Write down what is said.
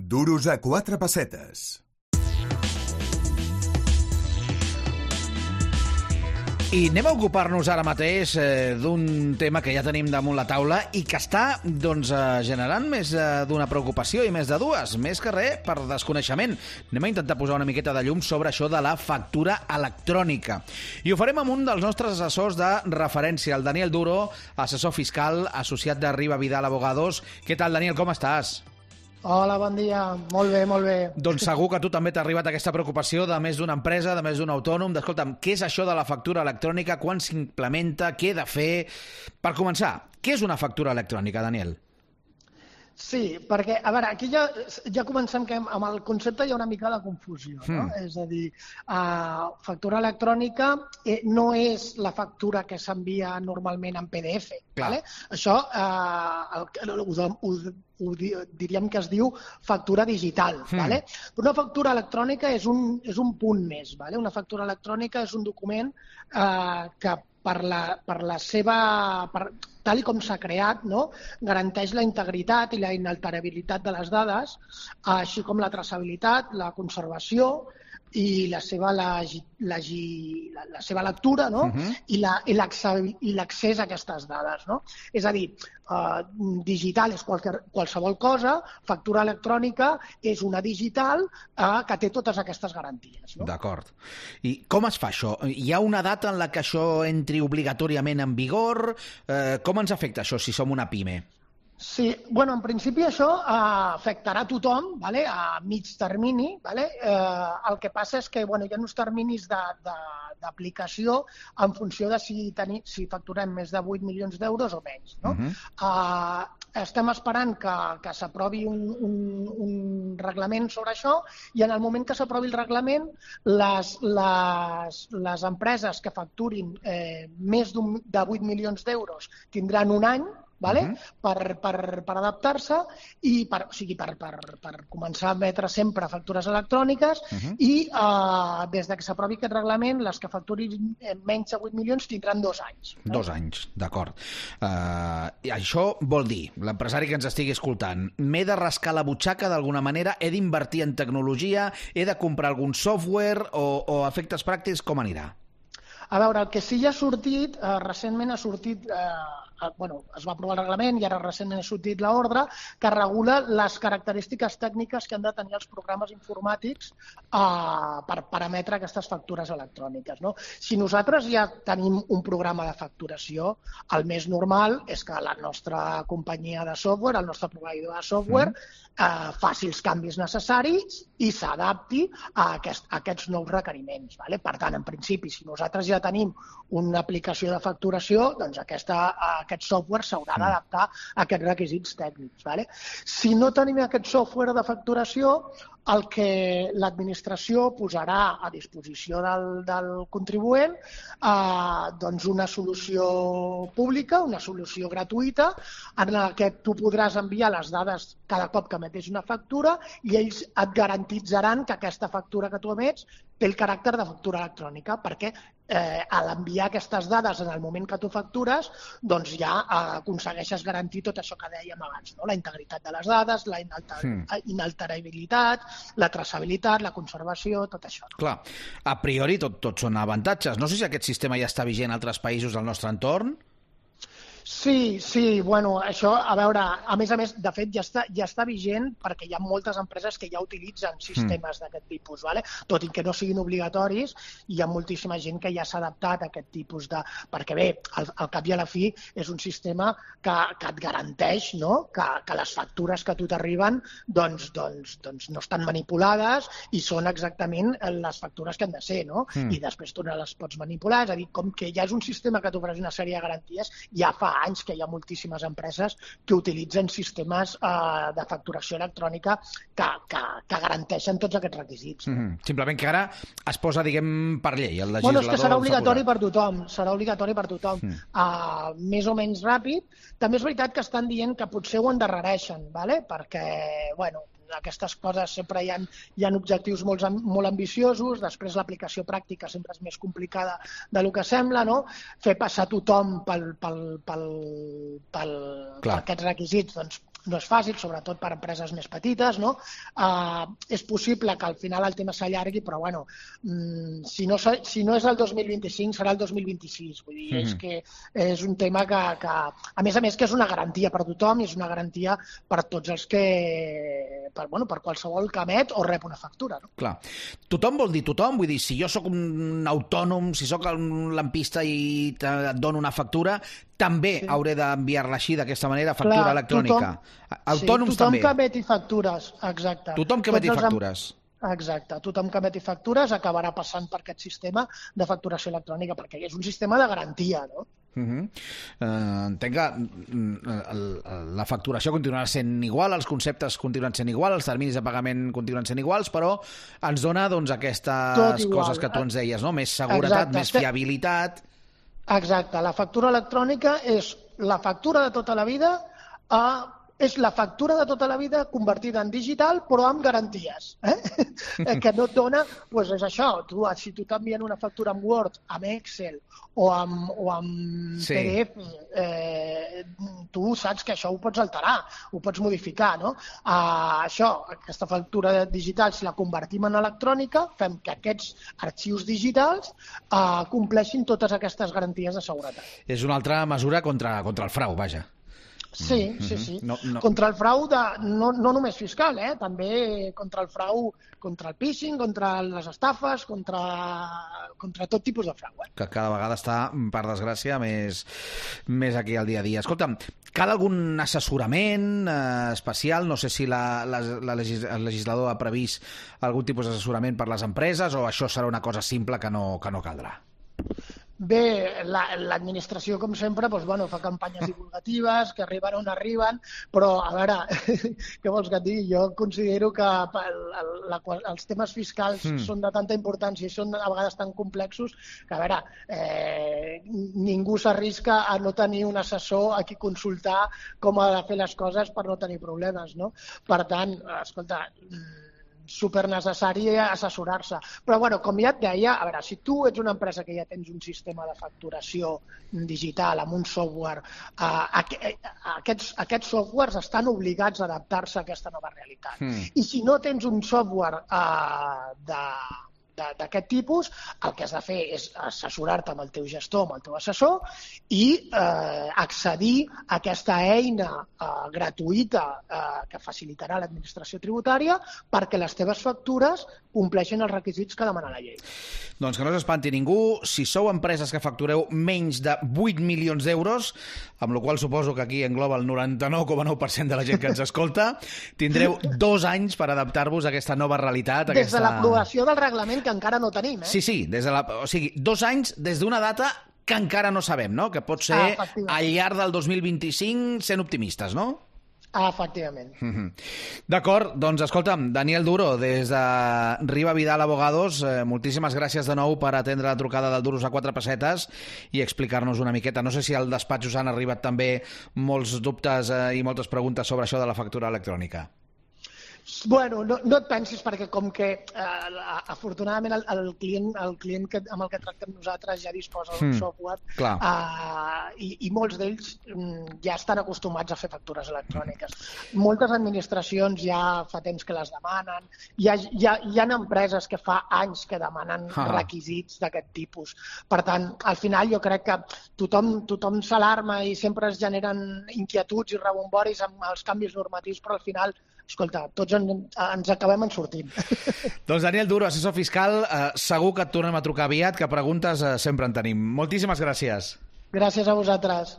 Duros a 4 pessetes. I anem a ocupar-nos ara mateix d'un tema que ja tenim damunt la taula i que està generant més d'una preocupació i més de dues, més que res per desconeixement. Anem a intentar posar una miqueta de llum sobre això de la factura electrònica. I ho farem amb un dels nostres assessors de referència, el Daniel Duro, assessor fiscal, associat de Riba Vidal Abogados. Què tal, Daniel, com estàs? Hola, bon dia. Molt bé, molt bé. Doncs segur que a tu també t'ha arribat aquesta preocupació de més d'una empresa, de més d'un autònom, d'escolta'm, què és això de la factura electrònica, quan s'implementa, què he de fer... Per començar, què és una factura electrònica, Daniel? Sí, perquè, a veure, aquí ja comencem que amb el concepte hi ha una mica de confusió, no? És a dir, factura electrònica no és la factura que s'envia normalment en PDF, ¿vale? Això ho diríem que es diu factura digital, ¿vale? Però una factura electrònica és un punt més, ¿vale? Una factura electrònica és un document que per la seva... tal com s'ha creat, no? Garanteix la integritat i la inalterabilitat de les dades, així com la traçabilitat, la conservació i la seva lectura, no? I l'accés a aquestes dades, no? És a dir, digital és qualsevol cosa, factura electrònica és una digital que té totes aquestes garanties, no? D'acord. I com es fa això? Hi ha una data en la que això entri obligatòriament en vigor? Com ens afecta això si som una PIME? Sí, bueno, en principi això afectarà a tothom, ¿vale? A mig termini, ¿vale? El que passa és que hi ha uns terminis d'aplicació en funció de si facturem més de 8 milions d'euros o menys, no? Estem esperant que s'aprovi un reglament sobre això i en el moment que s'aprovi el reglament les empreses que facturin més de 8 milions d'euros tindran un any, ¿vale? Per adaptar-se i per començar a emetre sempre factures electròniques i des que s'aprovi aquest reglament les que facturin menys de 8 milions tindran 2 anys. 2 anys, d'acord. Això vol dir, l'empresari que ens estigui escoltant, m'he de rascar la butxaca d'alguna manera, he d'invertir en tecnologia, he de comprar algun software o a efectes pràctics, com anirà? A veure, el que sí ja ha sortit, recentment ha sortit... es va aprovar el reglament i ara recentment ha sortit l'ordre que regula les característiques tècniques que han de tenir els programes informàtics per emetre aquestes factures electròniques, no? Si nosaltres ja tenim un programa de facturació, el més normal és que la nostra companyia de software, el nostre proveïdor de software, faci els canvis necessaris i s'adapti a aquests nous requeriments, ¿vale? Per tant, en principi, si nosaltres ja tenim una aplicació de facturació, doncs aquest software s'haurà d'adaptar a aquests requisits tècnics, ¿vale? Si no tenim aquest software de facturació, el que l'administració posarà a disposició del contribuent doncs una solució pública, una solució gratuïta, en la que tu podràs enviar les dades cada cop que emetis una factura i ells et garantitzaran que aquesta factura que tu emets té el caràcter de factura electrònica, perquè a l'enviar aquestes dades en el moment que tu factures, doncs ja aconsegueixes garantir tot això que dèiem abans, no? La integritat de les dades, la inalterabilitat, la traçabilitat, la conservació, tot això. Clar, a priori tot són avantatges. No sé si aquest sistema ja està vigent a altres països del nostre entorn. Sí, bueno, això, a veure, a més, de fet, ja està vigent perquè hi ha moltes empreses que ja utilitzen sistemes d'aquest tipus, ¿vale? Tot i que no siguin obligatoris, hi ha moltíssima gent que ja s'ha adaptat a aquest tipus de... Perquè bé, al cap i a la fi és un sistema que et garanteix, no?, que les factures que a tu t'arriben doncs no estan manipulades i són exactament les factures que han de ser, no? I després tu no les pots manipular, és a dir, com que ja és un sistema que t'ofereix una sèrie de garanties, ja fa anys que hi ha moltíssimes empreses que utilitzen sistemes de facturació electrònica que garanteixen tots aquests requisits. Simplement que ara es posa, diguem, per llei. El legislador... Bueno, és que serà obligatori per tothom. Serà obligatori per tothom. Més o menys ràpid. També és veritat que estan dient que potser ho endarrereixen, ¿vale? Perquè, bueno, aquestes coses sempre hi ha objectius molt ambiciosos, després l'aplicació pràctica sempre és més complicada del que sembla, no? Fer passar tothom per aquests requisits, doncs no és fàcil, sobretot per empreses més petites, no? És possible que al final el tema s'allargui, però bueno, si no és el 2025 serà el 2026. Vull dir, és que és un tema que a més que és una garantia per tothom i és una garantia per tots els que... per qualsevol que emet o rep una factura. No? Clar. Tothom vol dir tothom? Vull dir, si jo sóc un autònom, si sóc un lampista i et dono una factura, també hauré d'enviar-la així, d'aquesta manera, factura electrònica. Autònoms tothom també. Que emeti factures, exacte. Tothom que emeti factures. Exacte. Tothom que emeti factures acabarà passant per aquest sistema de facturació electrònica, perquè és un sistema de garantia, no? Entenc que la facturació continuarà sent igual, els conceptes continuen sent igual, els terminis de pagament continuen sent iguals, però ens dona aquestes coses que tu ens deies, no? Més seguretat, més fiabilitat... Exacte. La factura electrònica és la factura de tota la vida és la factura de tota la vida convertida en digital, però amb garanties. Que no et dona, doncs és això, si tu t'envien una factura amb Word, amb Excel o amb PDF, tu saps que això ho pots alterar, ho pots modificar, no? Aquesta factura digital, si la convertim en electrònica, fem que aquests arxius digitals compleixin totes aquestes garanties de seguretat. És una altra mesura contra el frau, vaja. Sí. Contra el frau no només fiscal, també contra el frau, contra el phishing, contra les estafes, contra tot tipus de frau. Que cada vegada està, per desgràcia, més aquí al dia a dia. Escolta'm, cal algun assessorament especial? No sé si el legislador ha previst algun tipus d'assessorament per les empreses o això serà una cosa simple que no caldrà? Bé, l'administració, com sempre, fa campanyes divulgatives, que arriben on arriben, però, a veure, què vols que et digui? Jo considero que els temes fiscals són de tanta importància i són a vegades tan complexos que, a veure, ningú s'arrisca a no tenir un assessor a qui consultar com ha de fer les coses per no tenir problemes, no? Per tant, escolta, supernecessari assessorar-se. Però, com ja et deia, a veure, si tu ets una empresa que ja tens un sistema de facturació digital amb un software, aquests softwares estan obligats a adaptar-se a aquesta nova realitat. I si no tens un software d'aquest tipus, el que has de fer és assessorar-te amb el teu gestor, amb el teu assessor, i accedir a aquesta eina gratuïta que facilitarà l'administració tributària perquè les teves factures compleixin els requisits que demana la llei. Doncs que no s'espanti ningú, si sou empreses que factureu menys de 8 milions d'euros, amb la qual suposo que aquí engloba el 99,9% de la gent que ens escolta, tindreu 2 anys per adaptar-vos a aquesta nova realitat. Des de l'aprovació del reglament, que encara no tenim. Sí, o sigui, 2 anys des d'una data que encara no sabem, no? Que pot ser al llarg del 2025, sent optimistes, no? Efectivament. D'acord, doncs escolta'm, Daniel Duro, des de Riba Vidal Abogados, moltíssimes gràcies de nou per atendre la trucada del Duros a 4 pessetes i explicar-nos una miqueta. No sé si al despatx us han arribat també molts dubtes i moltes preguntes sobre això de la factura electrònica. Bueno, no et pensis, perquè com que afortunadament el client amb el que tractem nosaltres ja disposa d'un software i molts d'ells ja estan acostumats a fer factures electròniques. Moltes administracions ja fa temps que les demanen, hi ha empreses que fa anys que demanen requisits d'aquest tipus. Per tant, al final jo crec que tothom s'alarma i sempre es generen inquietuds i rebomboris amb els canvis normatius, però al final, escolta, tots ens acabem en sortint. Doncs Daniel Duro, assessor fiscal, segur que et tornem a trucar aviat, que preguntes sempre en tenim. Moltíssimes gràcies. Gràcies a vosaltres.